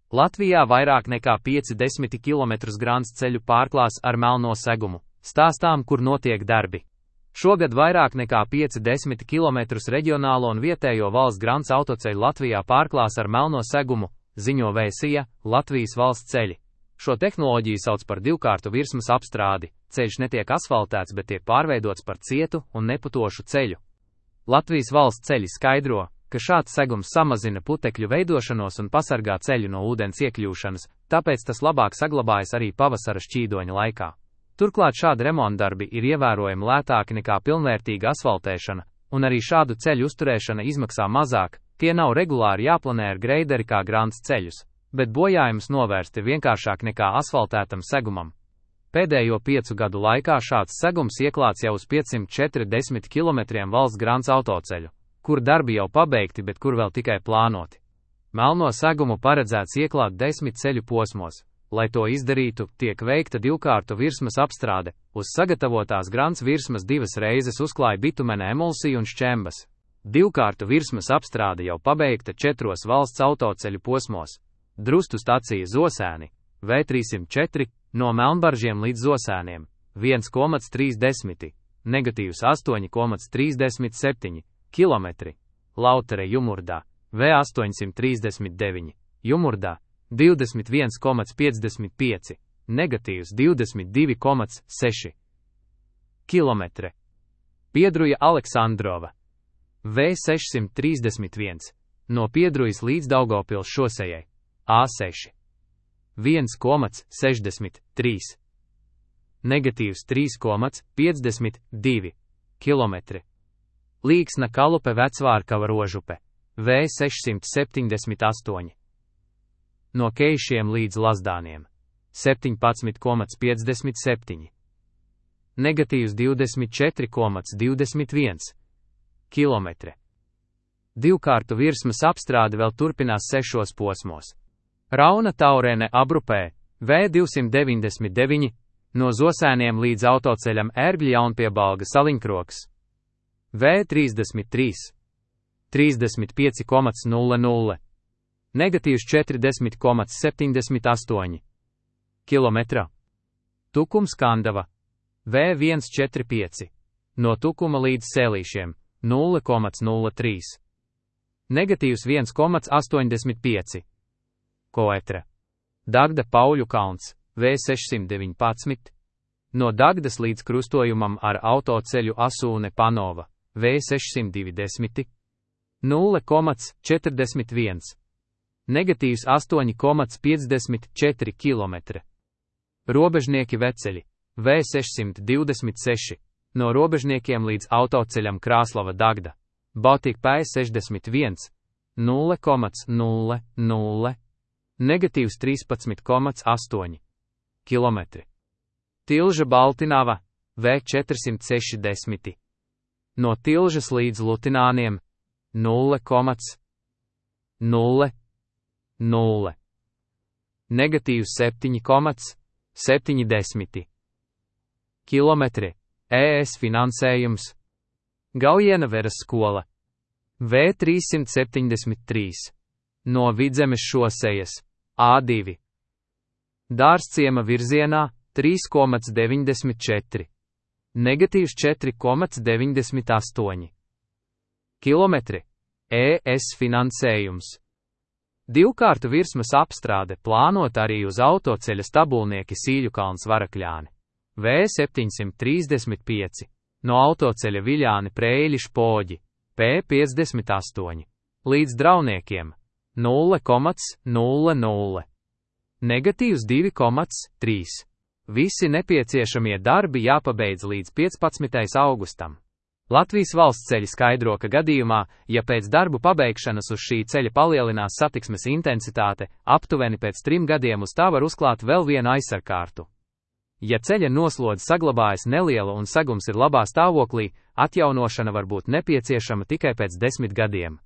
Latvijā vairāk nekā 50 km grants ceļu pārklās ar melno segumu. Stāstām, kur notiek darbi. Šogad vairāk nekā 50 km reģionālo un vietējo valsts grants autoceļu Latvijā pārklās ar melno segumu, ziņo Vēsija, Latvijas valsts ceļi. Šo tehnoloģiju sauc par divkārtu virsmas apstrādi. Ceļš netiek asfaltēts, bet tiek pārveidots par cietu un neputošu ceļu. Latvijas valsts ceļi skaidro, ka šāds segums samazina putekļu veidošanos un pasargā ceļu no ūdens iekļūšanas, tāpēc tas labāk saglabājas arī pavasara šķīdoņa laikā. Turklāt šādi remontdarbi ir ievērojami lētāki nekā pilnvērtīga asfaltēšana, un arī šādu ceļu uzturēšana izmaksā mazāk, tie nav regulāri jāplanē ar greideri kā grants ceļus, bet bojājumus novērst ir vienkāršāk nekā asfaltētam segumam. Pēdējo 5 gadu laikā šāds segums ieklāts jau uz 540 km valsts grants autoceļu, kur darbi jau pabeigti, bet kur vēl tikai plānoti. Melno segumu paredzēts ieklāt 10 ceļu posmos. Lai to izdarītu, tiek veikta divkārtu virsmas apstrāde, uz sagatavotās grants virsmas 2 reizes uzklāja bitumena emulsiju un šķembas. Divkārtu virsmas apstrāde jau pabeigta 4 valsts autoceļu posmos. Drustu stacija Zosēni, V304, no Melnbaržiem līdz Zosēniem, 1,30, negatīvs 8,37 km, Lautere Jumurdā, V839, Jumurdā, 21,55, negatīvs 22,6 km. Piedruja Aleksandrova, V631, no Piedrujas līdz Daugavpils šosejai, A6, 1,63, negatīvs 3,52 km. Līksna Kalupe Vecvārkava Rožupe, V678. No Keišiem līdz Lazdāniem, 17,57, negatīvs 24,21 km. Divkārtu virsmas apstrāde vēl turpinās 6 posmos. Rauna Taurēne Abrupē, V299, no Zosēniem līdz autoceļam Ērgļjaunpiebalga Saliņkroks, V33, 35,00, negatīvs 40,78 km. Tukums Kandava, V145, no Tukuma līdz Sēlīšiem, 0,03, negatīvs 1,85 km. Dagda Pauļu kalns, V619, no Dagdas līdz krustojumam ar autoceļu Asūne Panova, V620, 0,41, negatīvs 8,54 km. Robežnieki Veceļi, V626, no Robežniekiem līdz autoceļam Krāslava Dagda, Baltika P61, 0,00, negatīvs 13,8 km. Tilža Baltinava, V460, no Tilžas līdz Lutināniem, 0,00, negatīvs 7,70 km. ES finansējums. Gaujiena Veras skola, V373, no Vidzemes šosejas, A2. Dārzciema virzienā, 3,94, negatīvs 4,98 km. ES finansējums. Divkārtu virsmas apstrāde plānot arī uz autoceļa Stabulnieki Sīļukalns Varakļāni, V735, no autoceļa Viļāni Prēļi Špoģi, P58, līdz Drauniekiem, 0,00, negatīvs 2,3. Visi nepieciešamie darbi jāpabeidz līdz 15. augustam. Latvijas valsts ceļi skaidro, ka gadījumā, ja pēc darbu pabeigšanas uz šī ceļa palielinās satiksmes intensitāte, aptuveni pēc 3 gadiem uz tā var uzklāt vēl vienu aizsargkārtu. Ja ceļa noslodze saglabājas neliela un segums ir labā stāvoklī, atjaunošana var būt nepieciešama tikai pēc 10 gadiem.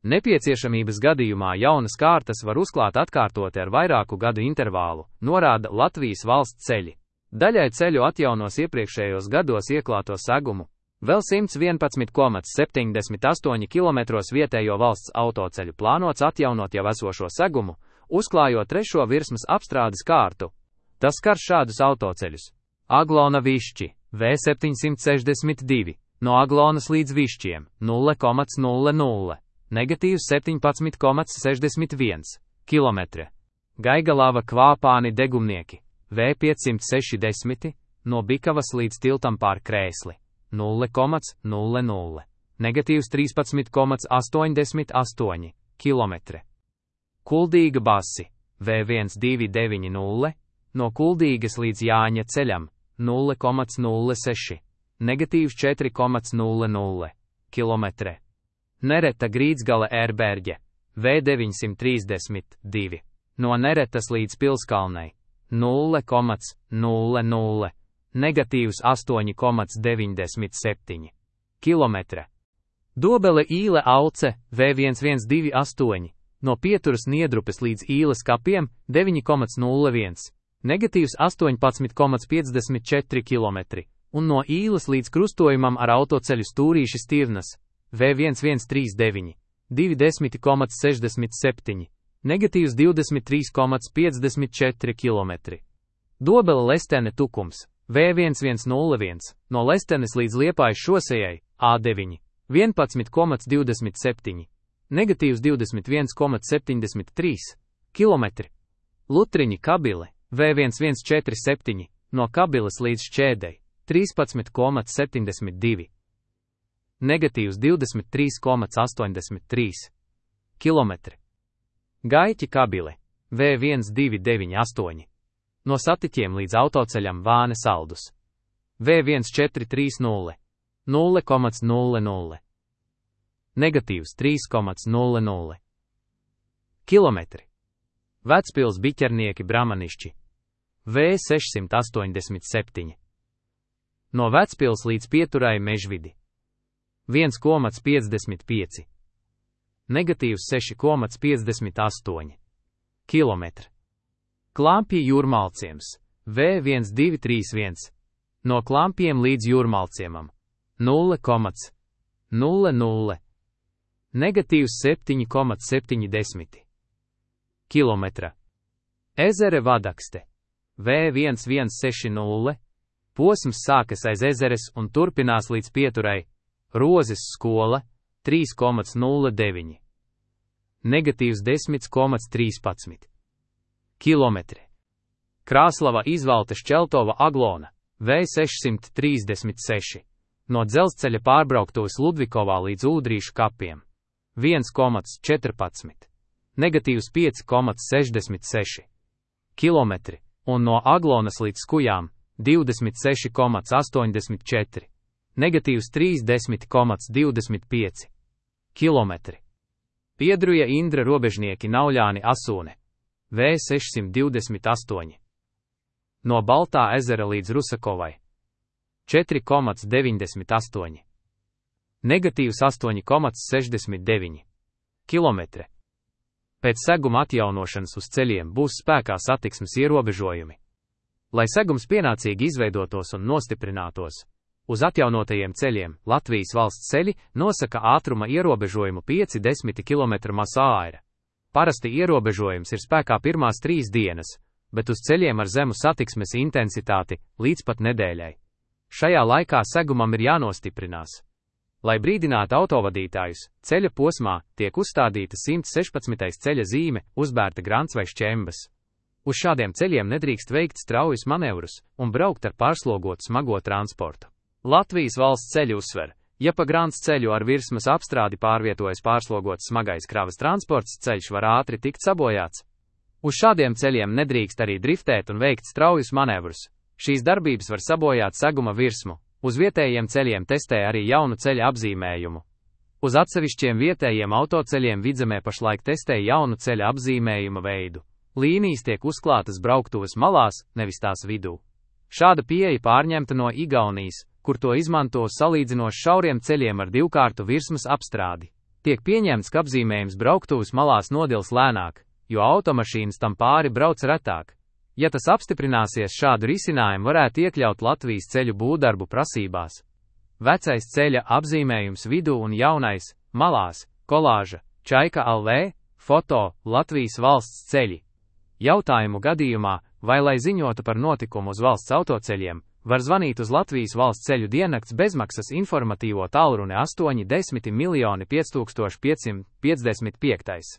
Nepieciešamības gadījumā jaunas kārtas var uzklāt atkārtoti ar vairāku gadu intervālu, norāda Latvijas valsts ceļi. Daļai ceļu atjaunos iepriekšējos gados ieklāto segumu. Vēl 111,78 km vietējo valsts autoceļu plānots atjaunot jau esošo segumu, uzklājot 3. virsmas apstrādes kārtu. Tas skar šādus autoceļus: Aglona Višķi, V762, no Aglonas līdz Višķiem, 0,00, negatīvs 17,61 km. Gaigalava Kvāpāni Degumnieki, V560, no Bikavas līdz tiltam pār Krēsli, 0,00, negatīvs 13,88 km. Kuldīga Basi, V1290, no Kuldīgas līdz Jāņa ceļam, 0,06, negatīvs 4,00 km. Nereta Grīdzgala Ērberģe, V932, no Neretas līdz Pilskalnei, 0,00, negatīvs 8,97 km. Dobele Īle Auce, V1128, no Pieturas Niedrupes līdz Īles kapiem, 9,01, negatīvs 18,54 km, un no Īles līdz krustojumam ar autoceļu Stūrīši Stirnas, V1139, 20,67, negatīvs 23,54 km. Dobele Lestene Tukums, V1101, no Lestenes līdz Liepājas šosejai, A9, 11,27, negatīvs 21,73 km. Lutriņi Kabile, V1147, no Kabiles līdz Šķēdei, 13,72, negatīvs 23,83 km. Gaiķi Kabile, V1298, no Satiķiem līdz autoceļam Vāne Saldus, V1430, 0,00, negatīvs 3,00 km. Vecpils Biķernieki Bramanišķi, V687, no Vecpils līdz Pieturai Mežvidi, 1,55, negatīvs 6,58 km. Klampji Jūrmalciems, V1231, no Klampjiem līdz Jūrmalciemam, 0,00, negatīvs 7,70 km. Ezere Vadakste, V1160, posms sākas aiz ezeres un turpinās līdz Pieturai, Rozes skola, 3,09, negatīvs 10,13 km. Krāslava Izvalta Šķeltova Aglona, V636, no dzelzceļa pārbrauktuves Ludvikovā līdz Ūdrīšu kapiem, 1,14, negatīvs 5,66 km, un no Aglonas līdz Skujām, 26,84, negatīvs 30,25 km. Piedruja Indra Robežnieki Nauļāni Asūne, V628, no Baltā ezera līdz Rusakovai, 4,98, negatīvs 8,69 km. Pēc seguma atjaunošanas uz ceļiem būs spēkā satiksmes ierobežojumi. Lai segums pienācīgi izveidotos un nostiprinātos, uz atjaunotajiem ceļiem Latvijas valsts ceļi nosaka ātruma ierobežojumu 5–10 km/h. Parasti ierobežojums ir spēkā pirmās 3 dienas, bet uz ceļiem ar zemu satiksmes intensitāti līdz pat nedēļai. Šajā laikā segumam ir jānostiprinās. Lai brīdinātu autovadītājus, ceļa posmā tiek uzstādīta 116. ceļa zīme, uzbērta grants vai šķembas. Uz šādiem ceļiem nedrīkst veikt straujus manevrus un braukt ar pārslogotu smago transportu. Latvijas valsts ceļi uzsver, ja pa grants ceļu ar virsmas apstrādi pārvietojas pārslogots smagais kravas transports, ceļš var ātri tikt sabojāts. Uz šādiem ceļiem nedrīkst arī driftēt un veikt straujus manevrus. Šīs darbības var sabojāt seguma virsmu. Uz vietējiem ceļiem testē arī jaunu ceļa apzīmējumu. Uz atsevišķiem vietējiem autoceļiem Vidzemē pašlaik testē jaunu ceļa apzīmējuma veidu. Līnijas tiek uzklātas brauktuves malās, nevis tās vidū. Šāda pieeja pārņemta no Igaunijas, kur to izmanto salīdzinoši šauriem ceļiem ar divkārtu virsmas apstrādi. Tiek pieņemts, ka apzīmējums brauktuves malās nodils lēnāk, jo automašīnas tam pāri brauc retāk. Ja tas apstiprināsies, šādu risinājumu varētu iekļaut Latvijas ceļu būvdarbu prasībās. Vecais ceļa apzīmējums vidū un jaunais, malās, kolāža, Čaika LV, Foto Latvijas valsts ceļi. Jautājumu gadījumā, vai lai ziņotu par notikumu uz valsts autoceļiem, var zvanīt uz Latvijas valsts ceļu diennakts bezmaksas informatīvo tālruni 810 555.